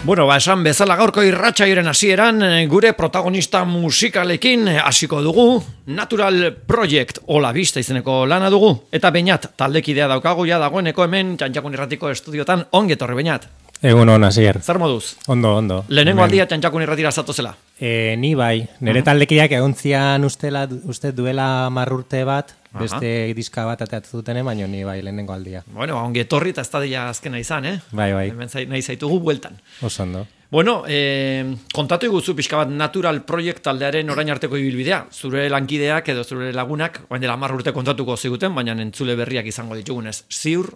Bueno, esan bezala gaurko irratsaioaren hasieran gure protagonista musikalekin hasiko dugu. Natural Project Ola Bista izeneko lana dugu. Eta Beñat, taldekidea daukagu ja dagoeneko hemen Txantxakun Irratiko estudiotan. Ongi etorri, Beñat. Egun hon, Asier. Zer moduz? Ondo. Lehenengo aldia Txantxakun Irratira zatozela. Ni bai, nire taldekideak egontzian uste duela 10 urte bat, beste diska bat ateatzen dutene, baina ni bai lehenengo aldia. Bueno, ongi etorri eta ez da dira azkena izan, Bai. Hemen nahi zaitugu bueltan. Oso ondo. Bueno, kontatu iguzu pixka bat Natural Project taldearen orain arteko ibilbidea. Zure lankideak edo zure lagunak, baina dela 10 urte kontatuko ziguten, baina entzule berriak izango ditugunez. Ziur,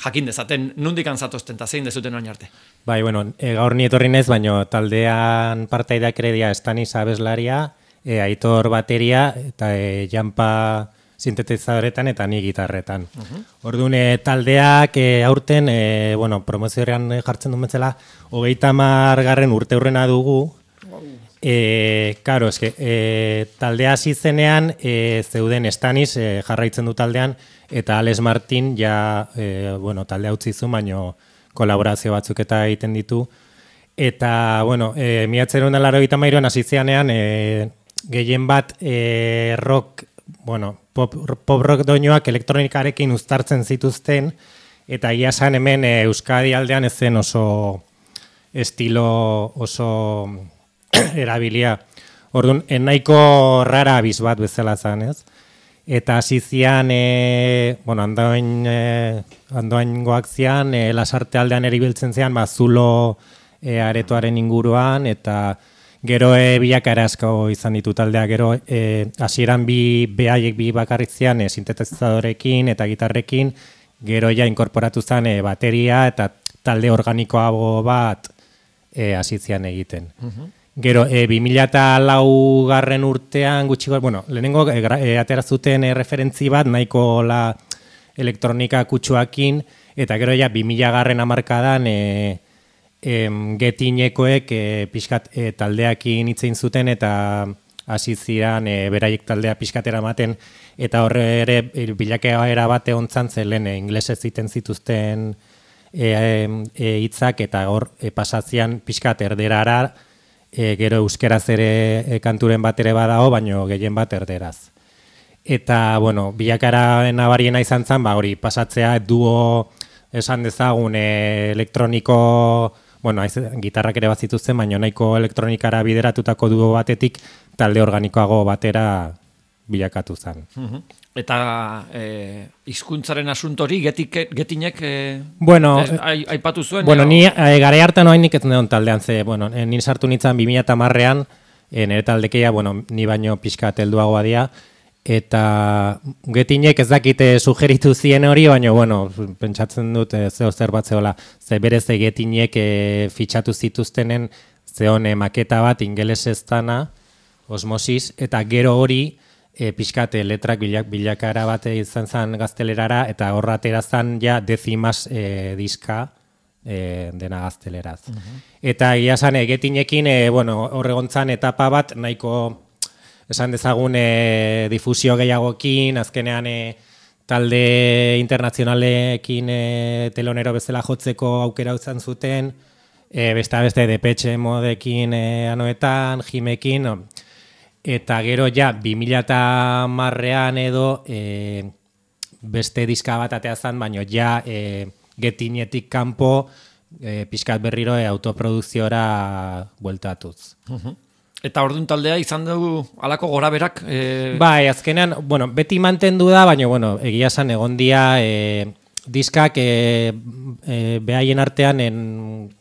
jakin dezaten nundikan zatozten eta zein dezuten orain arte. Bai, bueno, gaur ni etorri naiz, baina taldean partaideak ere dira Stanis abeslaria, Aitor bateria eta Janpa sintetizadoretan eta ni gitarretan. Orduan taldeak aurten, promozioan jartzen duen bezala, 30. urte hurrena dugu. Karo, taldea hasi zenean zeuden Stanis jarraitzen du taldean, eta Alex Martin taldea utzi zu, baino kolaborazio batzuk eta egiten ditu. Eta, 1983an hasi zenean gehien bat rock, pop rock doinoak elektronikarekin uztartzen zituzten, eta egia esan hemen Euskadi aldean ez zen oso estilo oso erabilia. Orduan, nahiko rara abiz bat bezala zen, ez? Eta hasi zian, andoaingoak zian, Lasarte aldean eribiltzen zian, zulo aretoaren inguruan, eta gero bilakaera asko izan ditu taldea, gero hasieran behaiek bi bakarrik zian sintetizadorekin eta gitarrekin, gero ja inkorporatu zen bateria eta talde organikoago bat hasi zian egiten. Gero 2004 urtean gutxiko, lehenengo atera zuten referentzi bat nahiko elektronika kutsuakin, eta gero ja 2000 hamarkadan Getinekoek pixkat taldeakin hitzein zuten eta hasi ziren beraiek taldea pixkatera ematen, eta horre ere bilakaera bat egontzan zelen inglesez ziten zituzten hitzak, eta hor pasatzean pixkat erderara, gero euskeraz ere kanturen bat ere badago, baino gehien bat erderaz. Eta, bilakaera nabariena izan zen, hori pasatzea duo esan dezagun elektroniko, gitarrak ere bat zituzten, baina nahiko elektronikara bideratutako duo batetik talde organikoago batera bilakatu zen. Eta hizkuntzaren asuntori Getinek aipatu zuen? Ni gara hartan oainik ez neon taldean, nire sartu nintzen 2010an, nire taldekeia, ni baino pixka helduagoa dira, eta Getinek ez dakite sugeritu zien hori, baina, pentsatzen dut zer bat zehola, ze berez Getinek fitxatu zituztenen zeon maketa bat ingelesez dana, Osmosis, eta gero hori pixkat letrak bilakara bat izan zen gaztelerara, eta horra atera zen ja Decimas diska dena gazteleraz. Eta egia zen Getinekin horregontzan etapa bat nahiko esan dezagun difusio gehiagokin, azkenean talde internazionalekin telonero bezala jotzeko aukera izan zuten, beste Depeche Modekin anoetan, Jimekin, eta gero ja 2010an edo beste diska bat atea zen, baina ja Getinetik kanpo pixkat berriro autoprodukziora bueltatuz. Eta orduan taldea izan dugu halako goraberak? Bai, azkenean, beti mantendu da, baina, egia esan egon dia diskak behaien artean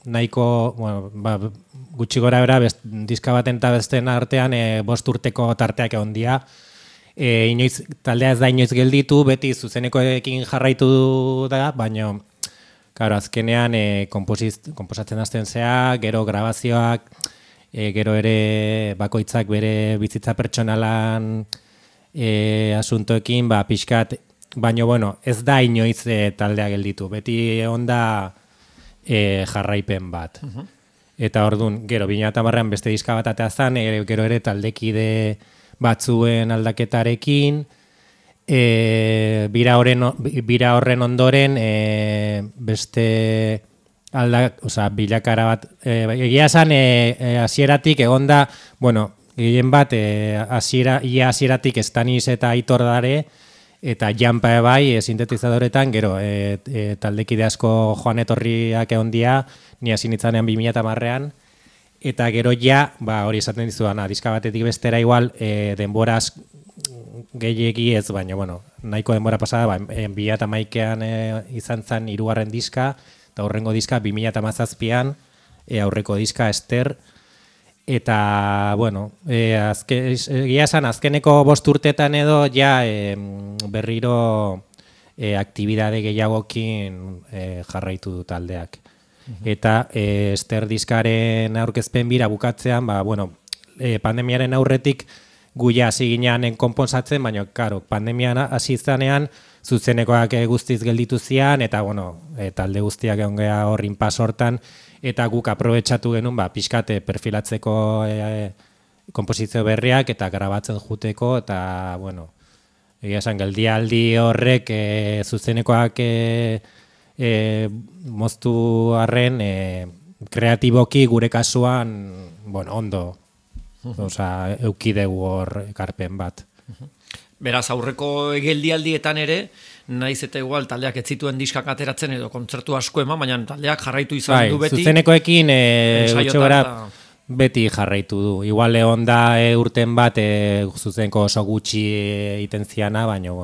nahiko, gutxi gora bera, diska baten eta besten artean 5 urteko tarteak egon dia. Inoiz, taldea ez da inoiz gelditu, beti zuzenekoekin jarraitu da, baina, azkenean konposatzen hasten zea, gero grabazioak, gero ere bakoitzak bere bizitza pertsonalan asuntoekin, pixkat, baina, ez da inoiz taldea gelditu, beti onda jarraipen bat. Eta orduan, gero, 2010an beste diska bat atea zen, gero ere taldekide batzuen aldaketarekin, bira horren ondoren beste bilakara bat, egia esan hasieratik egonda, bueno, gehien bat hasieratik Stanis eta Aitor dare, eta Jampa bai sintetizadoretan, gero taldekide asko joan etorriak egon dia, ni hasi nitzanean 2010ean, eta gero ja, hori esaten dizudan, diska batetik bestera igual, denboraz gehiegi ez, baina, bueno, nahiko denbora pasada, 2011ean izan zen 3. diska, eta horrengo diska 2017an, aurreko diska Ester, eta, bueno, egia esan, azkeneko 5 urtetan edo, ja, berriro aktibidade gehiagokin jarraitu du taldeak. Eta Ester diskaren aurkezpen bira bukatzean, pandemiaren aurretik guia hasi ginean konponsatzen, baina, karo, pandemian hasi izanean, zuzenekoak guztiz gelditu zian, eta, talde guztiak egon geha hor inpas hortan, eta guk aprobetxatu genuen, pixkate perfilatzeko komposizio berriak, eta grabatzen juteko, eta, egia esan, geldialdi horrek zuzenekoak moztu arren, kreatiboki gure kasuan, ondo, eukidegu hor ekarpen bat. Beraz, aurreko geldialdietan ere, naiz eta igual taldeak ez zituen diskak ateratzen edo kontzertu asko eman, baina taldeak jarraitu izan du beti. Zuzenekoekin beti jarraitu du. Igual egon da urten bat zuzeneko oso gutxi egiten ziana, baina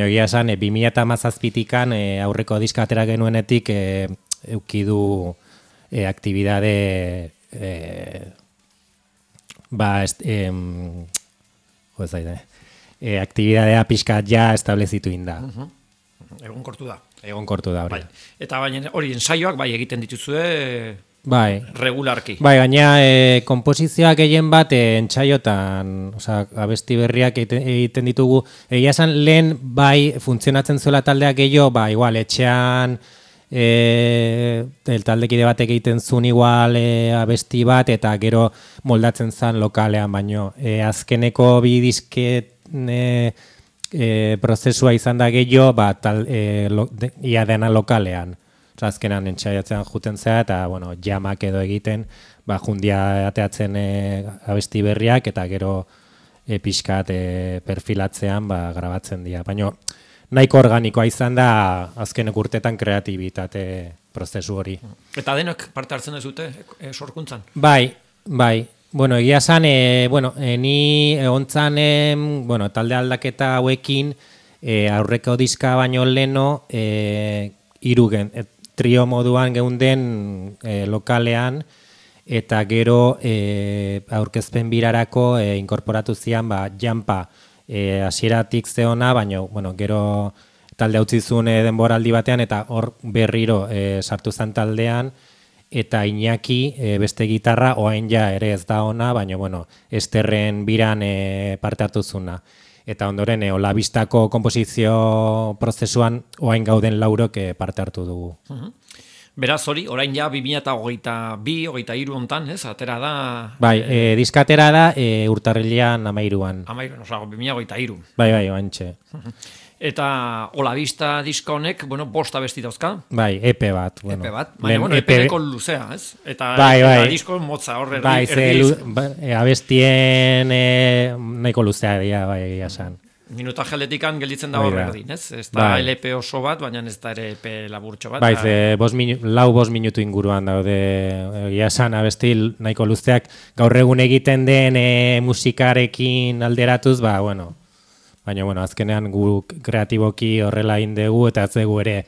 egia esan 2017an aurreko diska atera genuenetik eukidu aktibidade aktibidadea pixkat ja establezitu inda. Egonkortu da. Egonkortu da, hori. Eta baina hori ensaioak egiten dituzue regularki. Gaina komposizioak gehien bat entsaiotan, abesti berriak egiten ditugu. Egia esan lehen funtzionatzen zuela taldeak gehiago, igual etxean taldekide batek egiten zuen igual abesti bat, eta gero moldatzen zen lokalean, baino azkeneko bi disket prozesua izan da gehiago, ia dena lokalean. Azkenan entxaiatzen juten zea, eta jamak edo egiten, jundia ateatzen abesti berriak, eta gero pixkat perfilatzean grabatzen dira. Baina nahiko organikoa izan da azkenek urtetan kreatibitate prozesu hori. Eta denok parte hartzen dezute sorkuntzan? Bai. Egia esan, ni egontzan, talde aldaketa hauekin, aurreko diska baino leno, irugen, trio moduan geunden lokalean, eta gero aurkezpen birarako inkorporatu zian, Jampa, hasieratik zeona, baina, gero talde utzi zuen denboraldi batean, eta hor berriro sartu zen taldean, eta Iñaki beste gitarra, oain ja ere ez da ona, baina, Esterren biran parte hartu zuna. Eta ondoren, Olabistako komposizio prozesuan, oain gauden laurok parte hartu dugu. Beraz, hori, orain ja 2022-2023 hontan, ez? Atera da... diska atera da urtarrilean 13an. 2023. Bai, oantxe. Eta Olabista diska honek, 5 abesti dauzka. EP bat. EP bat, baina, EP neko luzea, ez? Eta disko motza horre abestien nahiko luzea dira, esan. Minuta jaletikan gelditzen da horre erdin, ez? Ez da LP oso bat, baina ez da ere EP laburtxo bat. 5 minutu inguruan daude, esan abesti nahiko luzeak, gaur egun egiten den musikarekin alderatuz, baina, azkenean gu kreatiboki horrela indegu, eta ez dugu ere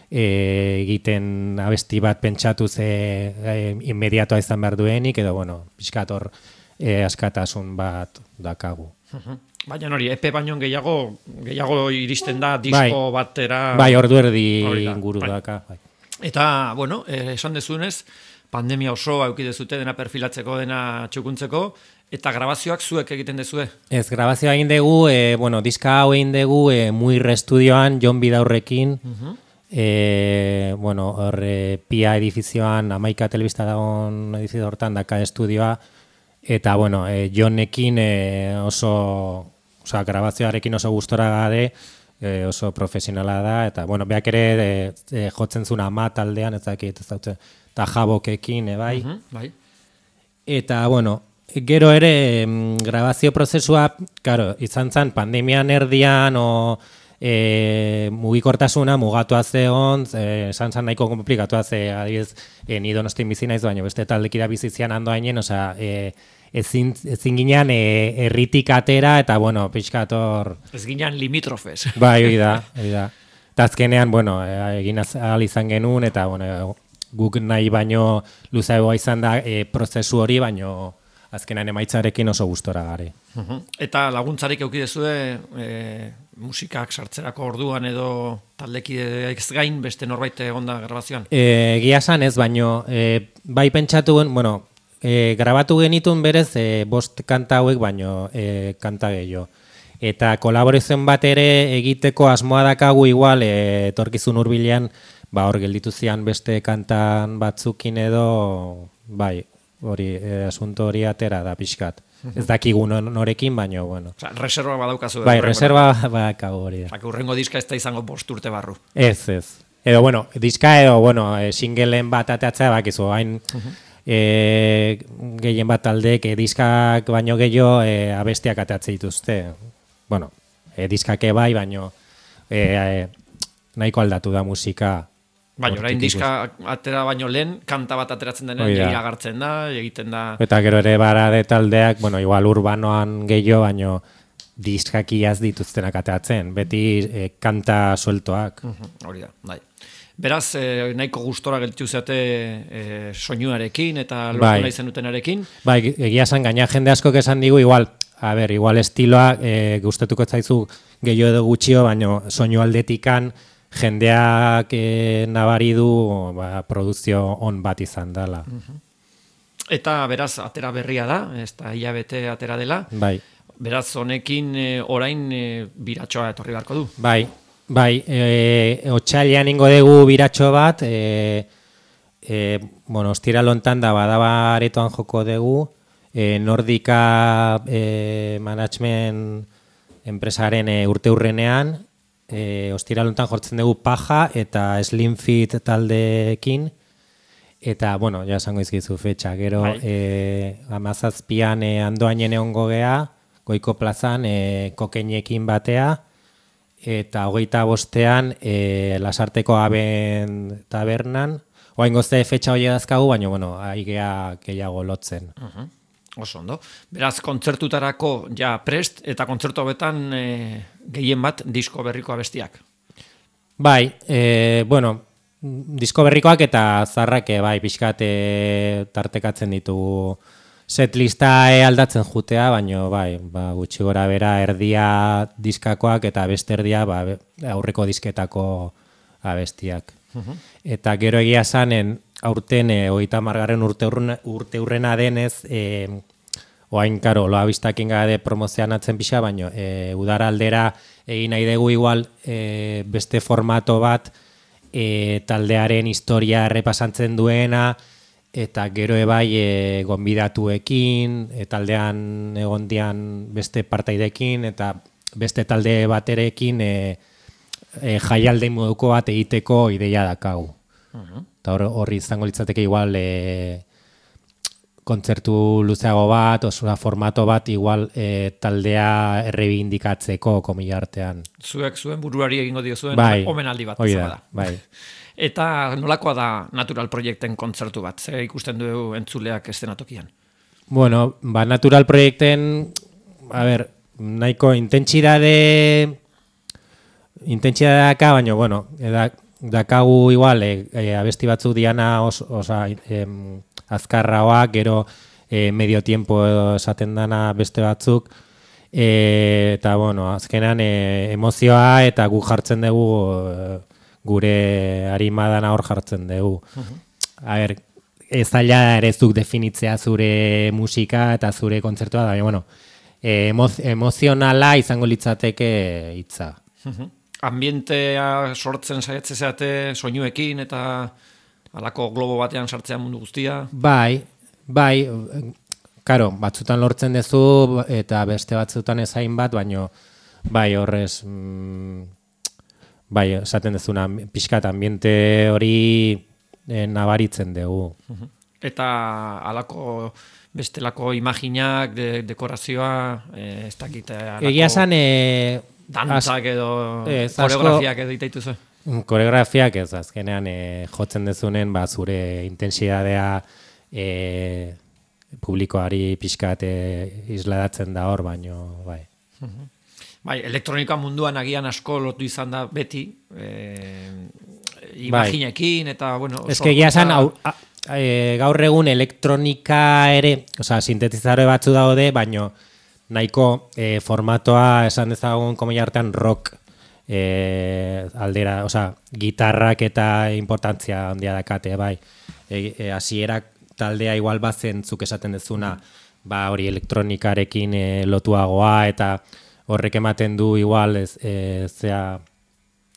egiten abesti bat pentsatuz inmediatoa izan behar duenik, edo, pixkat hor askatasun bat dakagu. Baina hori, EP baino gehiago iristen da disko batera... ordu erdi inguru daka. Eta, esan dezunez, pandemia osoa eukidezute dena perfilatzeko, dena txukuntzeko, eta grabazioak zuek egiten dezue? Ez, grabazioa egin dugu, diska hau egin dugu Muir Estudioan, Jon Bidaurrekin, Pia edifizioan, Amaika telebista dagoen edifizio hortan daka estudioa, eta, Jonekin grabazioarekin oso gustora gade, oso profesionala da, eta, bueno, beak ere jotzen zuen ama taldean, ez dakit, ez dautzen, eta jabokekin, bai. Bai. Eta, bueno, gero ere grabazio prozesua, claro, izan zen pandemian erdian, mugikortasuna mugatua zegoen, esan zen nahiko komplikatua ze, adibidez, ni Donostin bizi naiz, baina beste taldekira bizizian ando hainen, osea, ezin ginean herritik atera, eta, bueno, pixkator... Ez ginean limitrofes. Bai, hori da. Eta azkenean, bueno, egin ahal izan genuen, eta, bueno, guk nahi baino luzagoa izan da prozesu hori, baino azkenean emaitzarekin oso gustora gare. Eta laguntzarik eukidezue musikak sartzerako orduan edo taldekideak gain beste norbait egonda grabazioan? Egia esan ez, baino bai pentsatu gen, bueno, grabatu genitun berez 5 kanta hauek baino kanta gehiago. Eta kolaborazioen bat ere egiteko asmoa dakagu igual etorkizun hurbilean hor gelditu zian beste kantan batzukin edo bai, hori asunto hori atera da pixkat. Ez dakigu norekin, baino, bueno. Osa, reserva badaukazu. Bai, reserva badakagu hori da. Urrengo diska ez da izango 5 urte barru. Ez. Edo, bueno, diska edo, bueno, singleen bat ateatzea bakizu, hain gehien bat taldeek diskak baino gehiago abestiak ateatze dituzte. Bueno, diskake bai, baino nahiko aldatu da musika. Baina, orain diska atera baino lehen, kanta bat ateratzen denean, iragartzen da, egiten da... Eta gero ere barade taldeak, bueno, igual urbanoan gehiago, baino diskak iaz dituztenak ateratzen, beti kanta sueltoak. Hori da, bai. Beraz, nahiko gustora gelditu zeate soinuarekin eta lortu nahi zenutenarekin. Bai, egia esan, gaina jende askok esan digu, igual estiloa gustatuko zaizu gehiago edo gutxio, baino soinu aldetikan, jendeak nabari du produzio on bat izan dela. Eta beraz, atera berria da, ez da hilabete atera dela. Bai. Beraz, honekin orain biratxoa etorri beharko du. Bai. Otsailean ingo dugu biratxo bat, bueno, ostiral hontan da badaba aretoan joko dugu, Nordika management enpresaren urteurrenean, ostiral hontan jortzen dugu Paja eta Slim Fit taldeekin, eta, bueno, ja esango izkizu fetxa, gero 17an Andoainen egongo gea, Goiko plazan kokeinekin batea, eta 25ean Lasarteko Aben tabernan, oain gozte fetxa hori dazkagu, baina, bueno, aigea gehiago lotzen. Oso ondo. Beraz, kontzertutarako ja prest, eta kontzertu hobetan gehien bat disko berriko abestiak. Bai, bueno, disko berrikoak eta zarrak bai, pixkat tartekatzen ditugu setlista aldatzen jutea, baina bai, gutxi gora bera erdia diskakoak eta beste erdia aurreko disketako abestiak. Eta gero egia zanen, aurten 30. urteurrena denez, oain, karo, loa biztakin gade promozionatzen pixa, baina udara aldera egin nahi dugu igual beste formato bat taldearen historia errepasantzen duena, eta gero ebai gonbidatuekin, taldean egondian beste partaidekin, eta beste talde baterekin jaialde moduko bat egiteko ideia dakagu. Eta horri izango litzateke igual kontzertu luzeago bat, osura formato bat igual taldea errebindikatzeko komila artean. Zuek zuen buruari egingo diozuen omenaldi bat. Bai. Eta nolakoa da Natural Proiekten kontzertu bat? Zer ikusten du entzuleak eszenatokian? Bueno, Natural Proiekten, nahiko intentsitateka, baina, bueno, dakagu igual, abesti batzuk diana azkarraoak, gero medio tiempo esaten dana beste batzuk, eta, bueno, azkenan emozioa eta gu jartzen dugu, gure arimadana hor jartzen dugu. Ez zaila ere zuk definitzea zure musika eta zure kontzertua, da, bueno, emozionala izango litzateke hitza. Ambientea sortzen saiatzen zeate soinuekin eta halako globo batean sartzea mundu guztia? Bai, karo, batzutan lortzen duzu eta beste batzutan ezain bat, baino bai horrez bai, esaten dezuna, pixkat ambiente hori nabaritzen dugu. Eta alako bestelako imaginak, dekorazioa, ez dakit, Egia esan... dantzak edo koreografiak edo itaituzu? Koreografiak ez, azkenean jotzen dezunen, zure intensidadea publikoari pixkat isladatzen da hor, baino, bai. Bai, elektronika munduan agian asko lotu izan da beti, imaginekin eta, bueno... Ez que egia esan, gaur egun elektronika ere, sintetizadore batzu daude, baino nahiko formatoa esan dezagun komila artean rock aldera, gitarrak eta importantzia handia dakate, bai. Hasierak taldea igual bazentzuk esaten dezuna, hori elektronikarekin lotuagoa eta horrek ematen du igual zea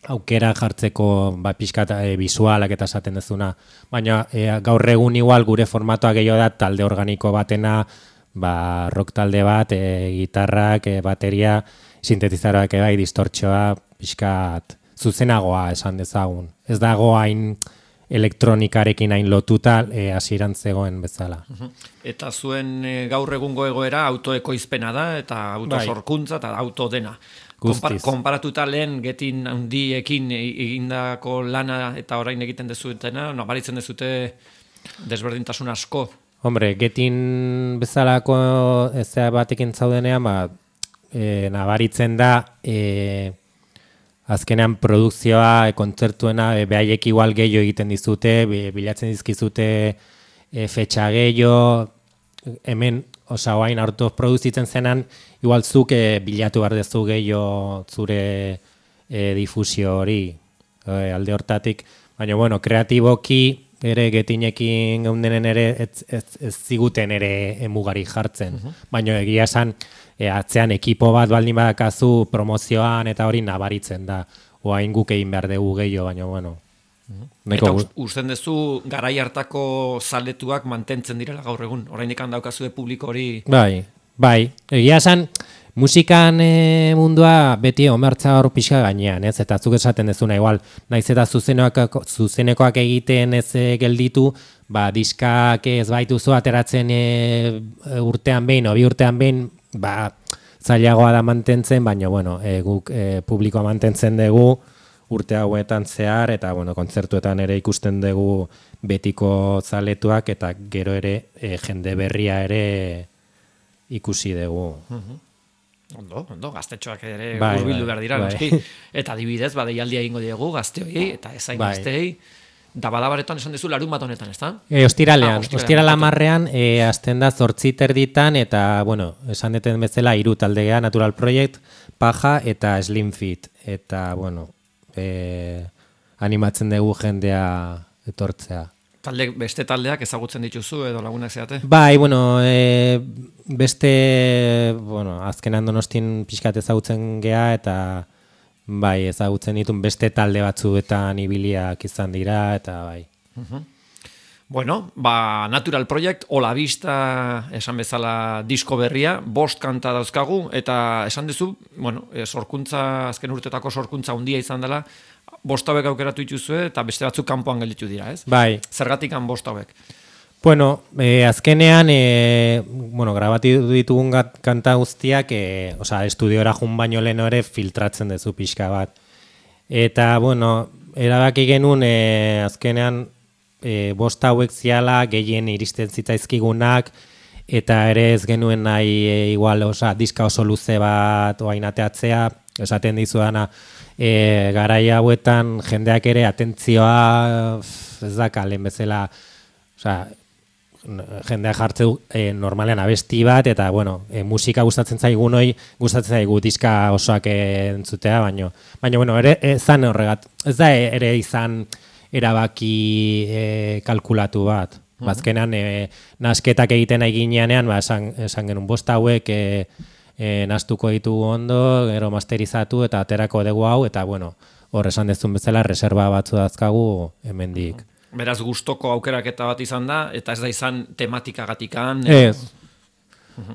aukera jartzeko pixkat bisualak eta esaten dezuna. Baina gaur egun igual gure formatoa gehiago da talde organiko batena, rock talde bat, gitarrak, bateria, sintetizaroak bai, distortxoa, pixkat zuzenagoa esan dezagun. Ez dago hain elektronikarekin hain lotuta hasieran zegoen bezala. Eta zuen gaur egungo egoera autoekoizpena da, eta autosorkuntza eta autodena. Konparatuta lehen getin handiekin egindako lana eta orain egiten dezutena, nabaritzen dezute desberdintasun asko. Hombre, getin bezalako ezea batekin zaudenean, nabaritzen da azkenean produkzioa, kontzertuena, behaiek igual gehiago egiten dizute, bilatzen dizkizute fetxa gehiago, hemen, oain hartu produzitzen zenan, igual zuk bilatu behar dezu gehiago zure difusio hori, alde hortatik. Baina, bueno, kreatiboki ere getinekin geundenen ere ez ziguten ere emugari jartzen. Baina egia esan, atzean ekipo bat baldin badakazu promozioan eta hori nabaritzen da. Oain guk egin behar dugu gehiago, baina, bueno. Eta usten duzu garai hartako zaletuak mantentzen direla gaur egun. Oraindik daukazue publiko hori... Bai. Egia esan, musikan mundua beti omertza hor pixka gainean, ez? Eta zuk esaten dezuna, igual, naiz eta zuzenekoak egiten ez gelditu, diskak ez baituzu ateratzen urtean behin, o bi urtean behin, zailagoa da mantentzen, baina, bueno, guk publikoa mantentzen dugu, urte hauetan zehar, eta kontzertuetan ere ikusten dugu betiko zaletuak, eta gero ere jende berria ere ikusi dugu. Ondo, gaztetxoak ere hurbildu behar dira, noski. Eta adibidez, deialdia egingo diegu gazteoi, eta ezain gazteei, da badabaretan esan dezu larun bat honetan, ez da? Ostiralean, ostirala marrean, azten da 8:30, eta, esan deten bezala, 3 taldea, Natural Project, Paja eta Slim Fit. Eta, animatzen dugu jendea etortzea. Beste taldeak ezagutzen dituzu edo lagunak zeate? Bai, beste, azkenan Donostin pixkat ezagutzen gea eta ezagutzen ditun beste talde batzuetan ibiliak izan dira eta bai. Natural Project, Ola Vista esan bezala disko berria, 5 kanta dauzkagu, eta esan duzu, sorkuntza, azken urtetako sorkuntza handia izan dela, 5 hauek aukeratu dituzue, eta beste batzuk kanpoan gelditu dira, ez? Bai. Zergatik 5 hauek? Azkenean, grabatu ditugun kanta guztiak, estudiora jun baino lehen ere filtratzen dezu pixka bat. Eta, erabaki genuen, azkenean, 5 hauek ziala, gehien iristen zitzaizkigunak, eta ere ez genuen nahi, diska oso luze bat oain ateatzea, esaten dizudana, garai hauetan jendeak ere atentzioa ez dakalen bezala, jendeak jartze normalean abesti bat, eta, musika gustatzen zaigun hoi, gustatzen zaigu diska osoak entzutea, baina, ere, ezan horregat, ez da ere izan erabaki kalkulatu bat. Bazkenan, nasketak egiten eginean, esan genuen 5 hauek nastuko ditugu ondo, gero masterizatu eta aterako dugu hau, eta, hor esan dezun bezala, reserva batzu dazkagu hemendik. Beraz, gustoko aukeraketa bat izan da, eta ez da izan tematikagatikan? Ez.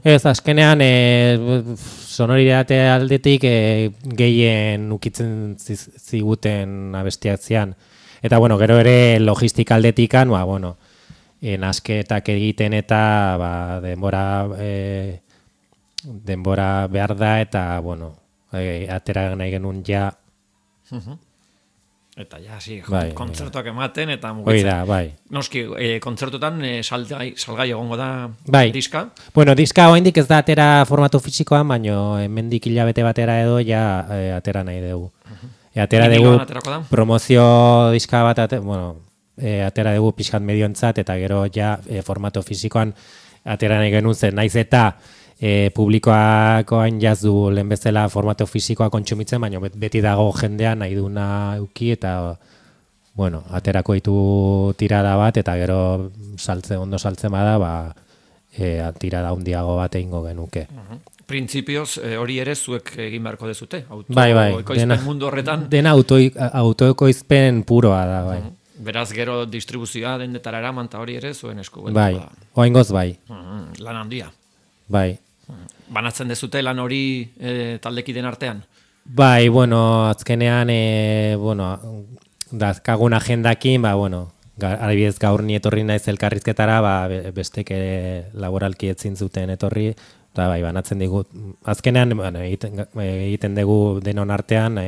Ez, azkenean sonoridade aldetik gehien ukitzen ziguten abestiak zian. Eta, bueno, gero ere logistika aldetikan, ba, bueno, nasketak egiten eta denbora behar da eta, bueno, atera nahi genuen ja. Eta ja, kontzertuak ematen eta mugitzen. Hoi da, bai. Noski, kontzertutan salgai egongo da diska? Bueno, diska oraindik ez da atera formatu fisikoan, baino hemendik hilabete batera edo ja atera nahi dugu. Atera dugu promozio diska bat, atera dugu pixkat medioentzat eta gero ja formato fisikoan atera nahi genuen zen. Naiz eta publikoak oain jazdu lehen bezala formato fisikoa kontsumitzen, baina beti dago jendea nahi duna euki eta bueno, aterako ditu tirada bat eta gero ondo saltzen bada, tirada handiago bat egingo genuke. Printzipioz hori ere zuek egin beharko dezute, autoekoizpen mundu horretan. Dena autoekoizpen puroa da, bai. Beraz gero distribuzioa dendetara eraman eta hori ere zuen esku. Bai, oaingoz bai. Lan handia. Bai. Banatzen dezute lan hori taldekiden artean? Bai, bueno, azkenean, dazkagun agendakin, adibidez gaur ni etorri naiz elkarrizketara, bestek laboralki etzin zuten etorri, eta bai, banatzen digu, azkenean egiten dugu denon artean,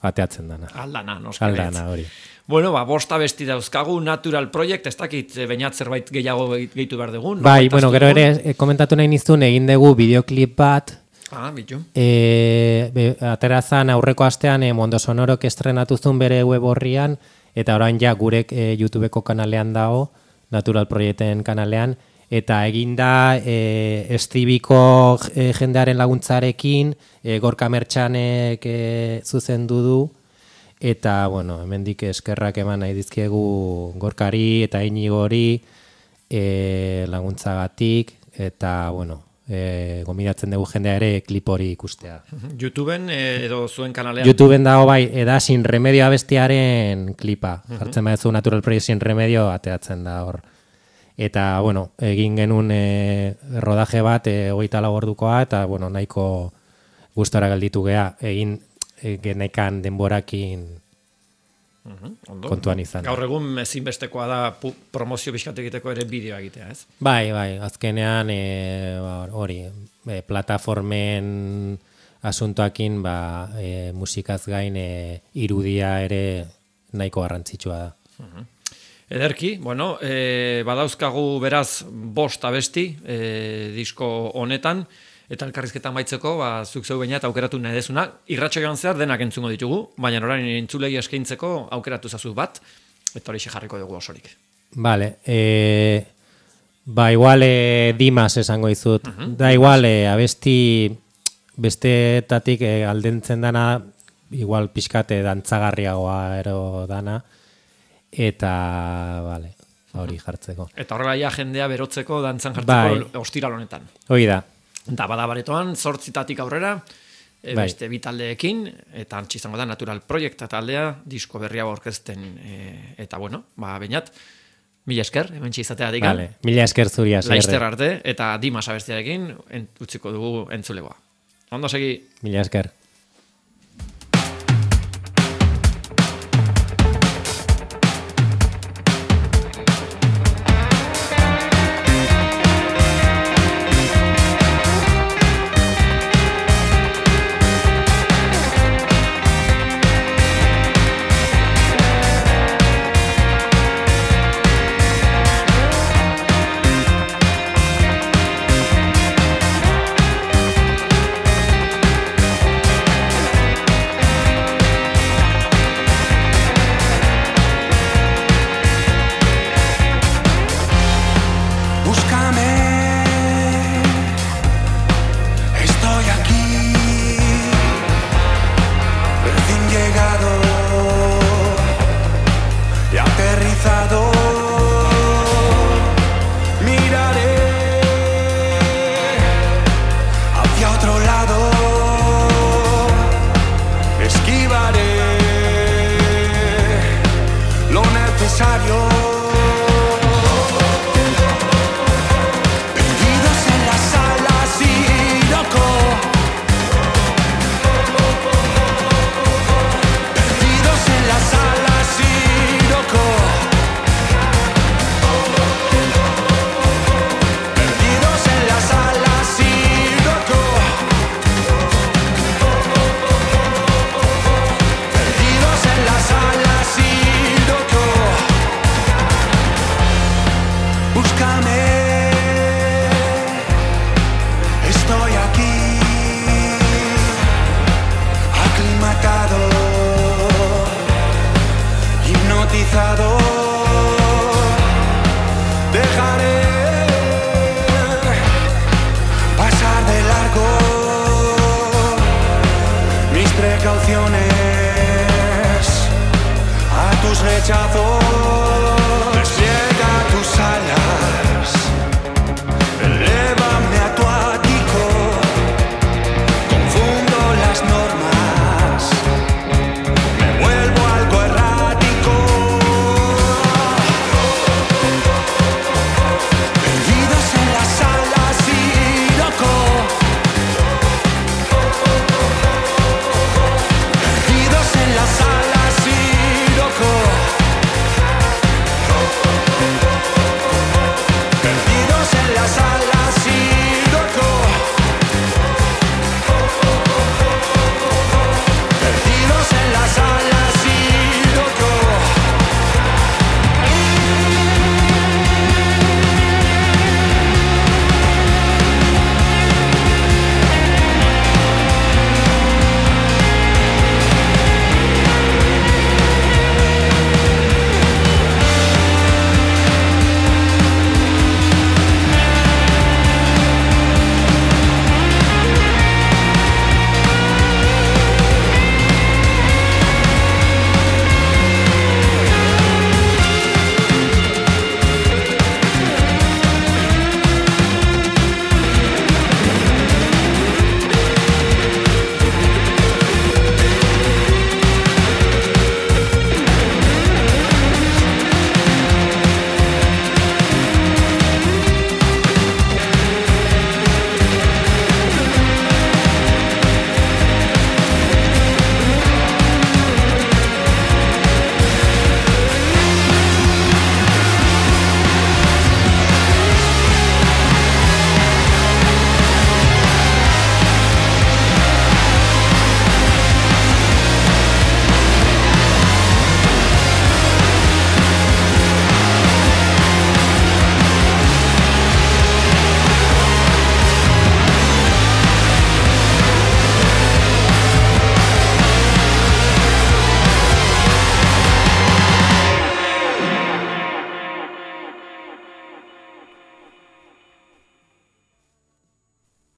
ateatzen dana. Aldana, Aldana, hori. Bueno, bosta besti dauzkagu, Natural Project, ez dakit bainat zerbait gehiago gehitu behar dugun. Bai, gero ere komentatu nahi nizun egin dugu bideoklip bat. Bitu. Aterazan aurreko astean Mondo Sonorok estrenatu zuen bere web horrian, eta orain ja gurek YouTubeko kanalean dago, Natural Projecten kanalean, eta eginda Estibiko jendearen laguntzarekin, Gorka Mertxanek zuzendu du, eta, hemendik eskerrak eman nahi dizkiegu Gorkari eta Inigori laguntzagatik, eta, gomidatzen dugu jendea ere klip hori ikustea. YouTubeen edo zuen kanalean? YouTubeen dago bai, eda Sin Remedio abestiaren klipa. Jartzen badezu Natural Project Sin Remedio ateratzen da hor. Eta, egin genuen rodaje bat 24 ordukoa, eta, nahiko gustora gelditu gea, egin genekan denborakin kontuan izan. Gaur egun ezinbestekoa da promozio bizkat egiteko ere bideoa egitea, ez? Bai, azkenean hori, plataformen asuntoakin musikaz gain irudia ere nahiko garrantzitsua da. Ederki, badauzkagu beraz 5 abesti disko honetan, eta elkarrizketan baitzeko, zuk zeu baina eta aukeratu nahi dezuna, irratxo joan zehar denak entzungo ditugu, baina orain entzulegi eskaintzeko aukeratu zazu bat, eta hori jarriko dugu osorik. Vale, igual Dimas esango izut, da igual abesti besteetatik aldentzen dana, igual pixkate dantzagarriagoa ero dana, eta, hori jartzeko. Eta horrela jendea berotzeko, dantzan jartzeko ostiral honetan. Hoi da. Eta badabaretoan, 8 aurrera, beste bi taldeekin, eta antxe izango da Natural Project taldea, disko berria aurkezten, eta bainat, mila esker, hemen izatea digan. Mila esker zuria. Laizter arte, eta Dimas abestiarekin, utziko dugu entzulegoa. Ondo segi. Mila esker. cruzado. Dejaré pasar de largo mis precauciones a tus rechazos.